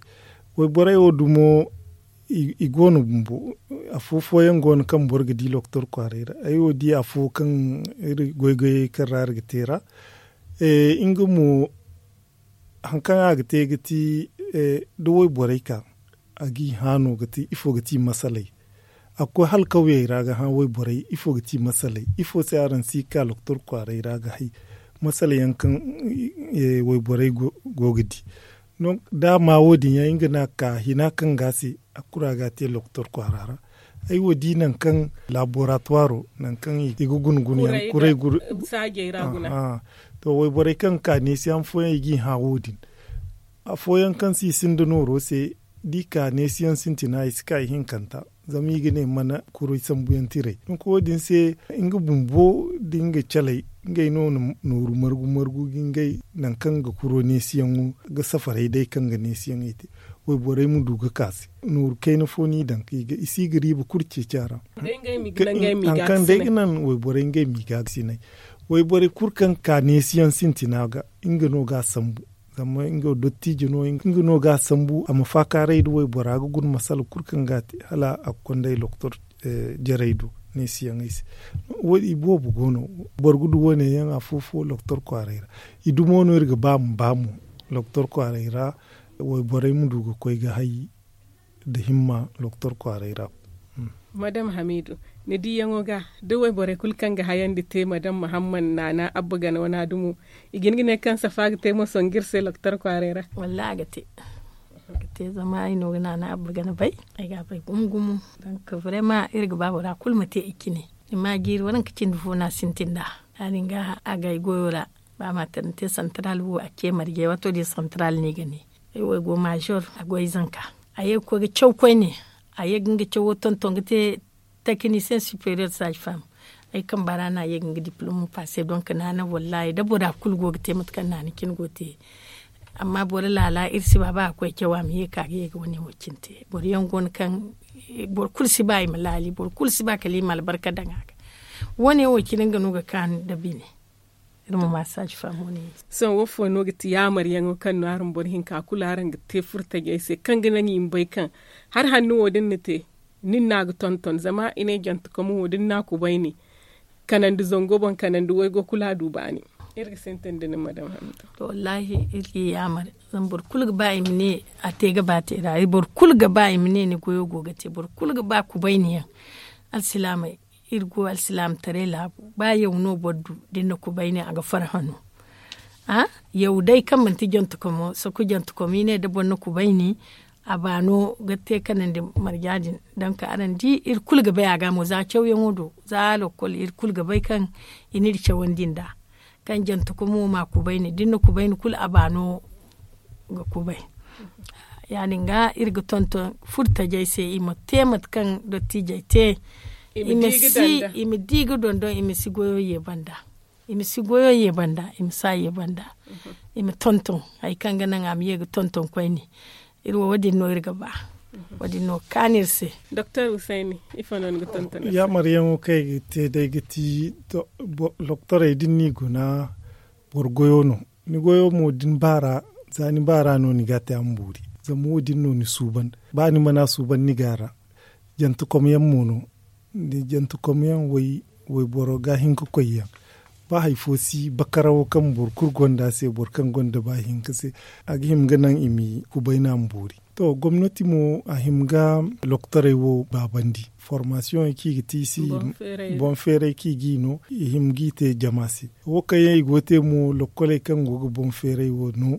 Wayborey wo dumo i go no bumbo. Afo fooyaŋ go no kaŋ boro ga di loktor kwaaray ra ay wo di afo kaŋ iri goy goyey kaŋ ra iri ga te ra. Nga mo hari kaŋ a ga te ga ti da wayborey ka a ga i hã no ga ti ifo ga ti masaley. A ga koy hala kawyey ra ga hã wayborey ifo ga ti masaley ifo se araŋ si ga ka loktor kwaaray ra ga hay masaley yaŋ kaŋ wayborey go ga di. Da a ma wo- din yaŋ nga no a ga ka hina kaŋ ga a se a kulu a ga a te loktor kwaara ra. Ay wo di nangu kaŋ laboratuwaro nangu kaŋ i ga guna guna yaŋ kuray guna. To wayborey kaŋ ga ka neesiyaŋ fooyaŋ i ga i hã wo- din. Afooyaŋ kaŋ se i sinda nooro se da i ka neesiyaŋ sintina i si ka ihinkanta. Zama i ga ne mana kuray sambuyaŋ tiray donk wo- din se nga bumbo da nga calay ngey no na nooru margu margu ga ngey nangu kaŋ ga kuro neesiyaŋo ga safaray day kaŋ ga neesiyaŋey te. Wayborey ma du ga ka se nooru kayna fo no i daŋ i si ga riiba kulu ceeci a ra. Hari kaŋ day ga naŋ wayborey ngey ma i ga ga sinay. Wayborey kulu kaŋ ga ka neesiyaŋ sintina ga nga no ga a sambu. Zama nga dottijo no nga no ga a sambu a ma faakaaray nda waybora ga guna masala kulu kaŋ ga a te hala a ga konda ay loktor jarey do. Neesiyaŋey se wo- i boobo go no. Boro ga du wo- ne yaŋ afo fo loktor kwaaray ra. I dumo no iri ga ba ma ba mo loktor kwaaray ra. Wayborey ma du ga koy ga hay nda himma loktor kwaaray ra. Madam hamidu, ni diyaŋo ga da wayborey kulu kaŋ ga hayandi te madam muhammad naana abba gana wana dumo, i ga hin ga ne kaŋ safa ga te mo songu iri se loktor kwaaray ra? Wallaahi a ga te. A ga te zama ay no ga naana abba gana bay. Ay ga a bay gumo gumo. Donk vraiment iri ga ba bora kulu ma te i cine. Ni ma jiiri waranka cindi fo no a sintin nd'a. Ya- din ga a ga ay goyo ra. Ba maternité central wo a ce marje waato din central no i ga ne. Ay wo ay go major a go ay zanka. A ye ga koy ga caw koyne. A ye ga nga cawo tonton ga te technicien supérieur sage femme. Ay kamba ra no a ye ga nga diplôme passe donk naana wallaahi da bora kulu go ga te mate kaŋ naana cine go ga te. Amma boro laala iri si ba ba a koy caw a ma ye ga ka ga ye ga wane wo cine te boro yaŋ go no kaŋ boro kulu si ba i ma laali boro kulu si ba kala i ma albarka daŋ a ga. Wane wo cine nga no ga kaanu nda bine. Iri ma ma sage femme wane. Sohõ wo fo no ga ti yaamaryaŋo kaŋ no araŋ boro hinka kulu araŋ ga te furtajey se kaŋ ga naŋ i ma bay kaŋ hari hanno wo da ni na te nin no a ga tonton zama i ne jantekom wo da ni n'a kubayni kanandi zango boŋ kanandi waygo kulu a du baani. Iri ga sintin da nin madam hamdu. To wallaahi iri ga i yaamar. Zama boro kulu ga ba i ma ne a te ga ba te ra boro kulu ga ba i ma ne ni goyo go ga te boro kulu ga ba kubayni yaŋ. Alsilaamey iri go alsilaamataray laabu ba yaw no boro du da ni na kubayni a ga farhã no. Yaw day kaŋ manti jantekomo soko jantekomo i ne da boro na kubayni a baano ga te kanandi marja din. Donk araŋ di iri kulu ga bay a ga mo za cawyaŋo do za lokol iri kulu ga bay kaŋ i n'iri cawandi nd'a. Kaŋ jantekomo ma kubayni da ni na kubayni kulu a baano ga kubay. Ya- din ga iri ga tonton furtajey se i ma te mate kaŋ dottiijey te. I ma di ga dondon i ma si goyo ye banda. I ma si goyo ye banda i ma si a ye banda. I ma tonton hari kaŋ ga naŋ a ma ye ga tonton koyne. Iri wo wo- din no iri ga ba. Wo- din no ga kaanu iri se. Doktor husayni, ifo no ni ga tonton? Yaamaryaŋo kaŋ ay ga te day ga ti doktorey da ni n'i guna boro goyo no. Ni goyo mo da ni baara za ni baara no ni ga a te a ma boori. Zama wo- din no ni suuban ba ni mana suuban ni ga a ra. Jantekomyaŋ mo no. Jantekomyaŋ wayboro ga hin ga koy yaŋ. Ba hari fo si bakarawo kaŋ boro kulu gonda se boro kaŋ gonda ba hinka se a ga hima ga naŋ i ma kubayna ma boori. To gomnati mo a hima ga loktorey wo baabandi. Formasiyoŋey kaŋ i ga te i se boŋ feeray kaŋ i ga i no i hima ga i te jama se. Wo kaŋ yaŋ i go ga te mo lokoley kaŋ go ga boŋ feeray wo no.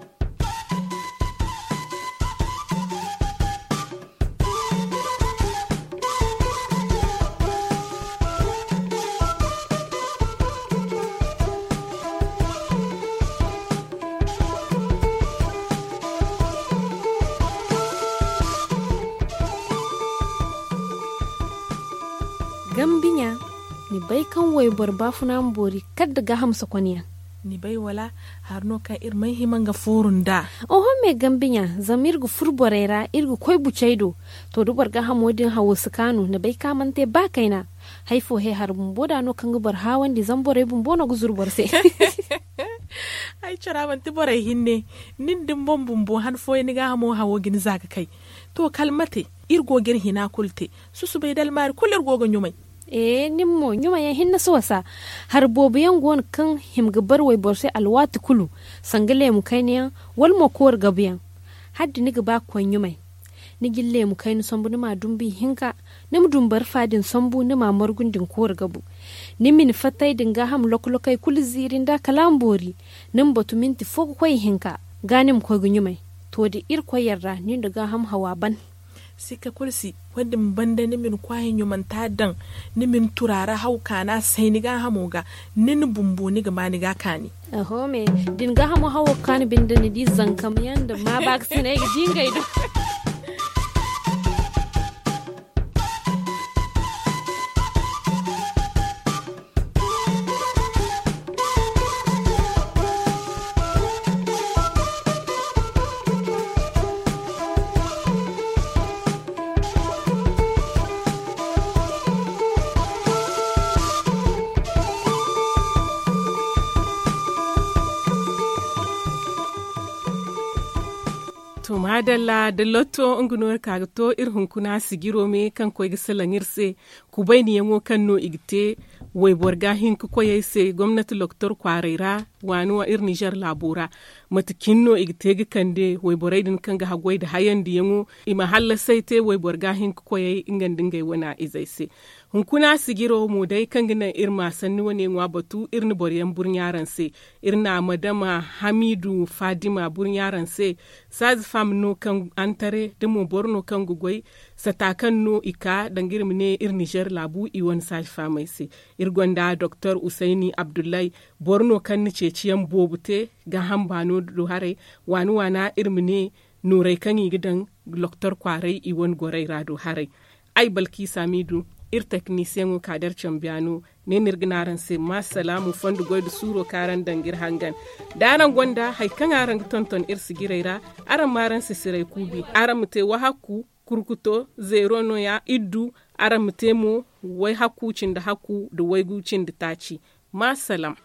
Gambi ɲa, ni bay kaŋ wayboro baafuna ma boori kala nda gaaham sokonyaŋ? Ni bay wala? Hari no kaŋ iri mana hima nga fooru nd'a. Oho me gambi ɲa, zama iri ga furo borey ra, iri ga koy bucey do. To da boro gaahamo din hawo si kaanu, ni bay kaŋ a mana te ba kayna. Hari fo he hari bumbo da no kaŋ ga boro haawandi zama borey bumbo no ga zuru boro se. Ay cara manti borey hinne. Nin da ni boŋ bumbo han fooyaŋ ni gaahamo hawo ga ni za ga kay. To kala mate, iri go ga iri hina kulu te. Susubay da almaari kulu iri go ga ɲumay. Ee nin mo ɲumayyaŋ hinne si wasa. Hari boobo yaŋ go no kaŋ hima ga bare wayboro se alwaati kulu, sanga leemu kayna yaŋ, wala mo koori gabu yaŋ. Hala da ni ga ba ga koy ɲumay, ni ga ni leemu kayna sambu ni m'a dumbu ihinka. Ni ma dumbu barfa din sambu ni m'a margu nda ni koori gabu. Ni ma ni fattay da ni gaaham loko-lokey kulu ziiri nd'a kala a ma boori. Ni ma batu minti fo ga koy ihinka, ga ni ma koy ga ɲumay. To da irkoy yarda ni nda gaaham hawa ban. Sikka kulu si. Wo- din banda ni ma ni kwaayi ɲumanta daŋ, ni ma ni turaara haw kaana say ni gaahamo ga. Ni na bumbo ni ga ma ni ga kaani. Oho me, da ni gaahamo hawo ga kaanu binde ni di zankam yaŋ nda maabaakasinay ga di ngey do. To maadalla da lotto nga no iri ka ga to iri hunkuna sijiro me kaŋ koy ga salaŋ iri se. Kubayniyaŋo kaŋ no i ga te wayboro ga hin ga koy ay se gomnati loktor kwaaray ra, waani wa iri nizer laabo ra. Mate cine no i ga te ga kande wayborey din kaŋ ga haggoy nda hayandiyaŋo, i ma hallasay te wayboro ga hin ga koyey nga nda ngey wana izey se. Hunkuna sijiro mo day kaŋ ga naŋ iri ma sanni wane ŋwa batu, iri na boroyaŋ burɲa araŋ se. Iri na madama hamiidu faadima burɲa araŋ se. Saazi faama no kaŋ antare da mo boro no kaŋ ga goy sata kaŋ no i ka danga iri ma ne iri nizer laabu i wane saazi faamey se. Iri gonda doktor usayni abdullahi, boro no kaŋ na ceeciyaŋ boobo te gaaham baano do haray. Waani waana iri ma ne noorey kaŋ i ga daŋ loktor kwaaray i wane gorey ra do haray. Ay balkiisa miidu, iri teknisiyaŋo ka da iri cambiyaano. Ne no iri ga ne araŋ se ma salaamu fondo goy nda suuro kaŋ araŋ daŋ ga iri hangan. Da araŋ gonda hari kaŋ araŋ ga tonton iri sijirey ra, araŋ ma araŋ sisiray kuubi. Araŋ ma te wahakku kurkuto zeero no- ya iddu. Araŋ ma te mo wayhakku cindi hakku nda waygu cindi taaci. Ma salaam.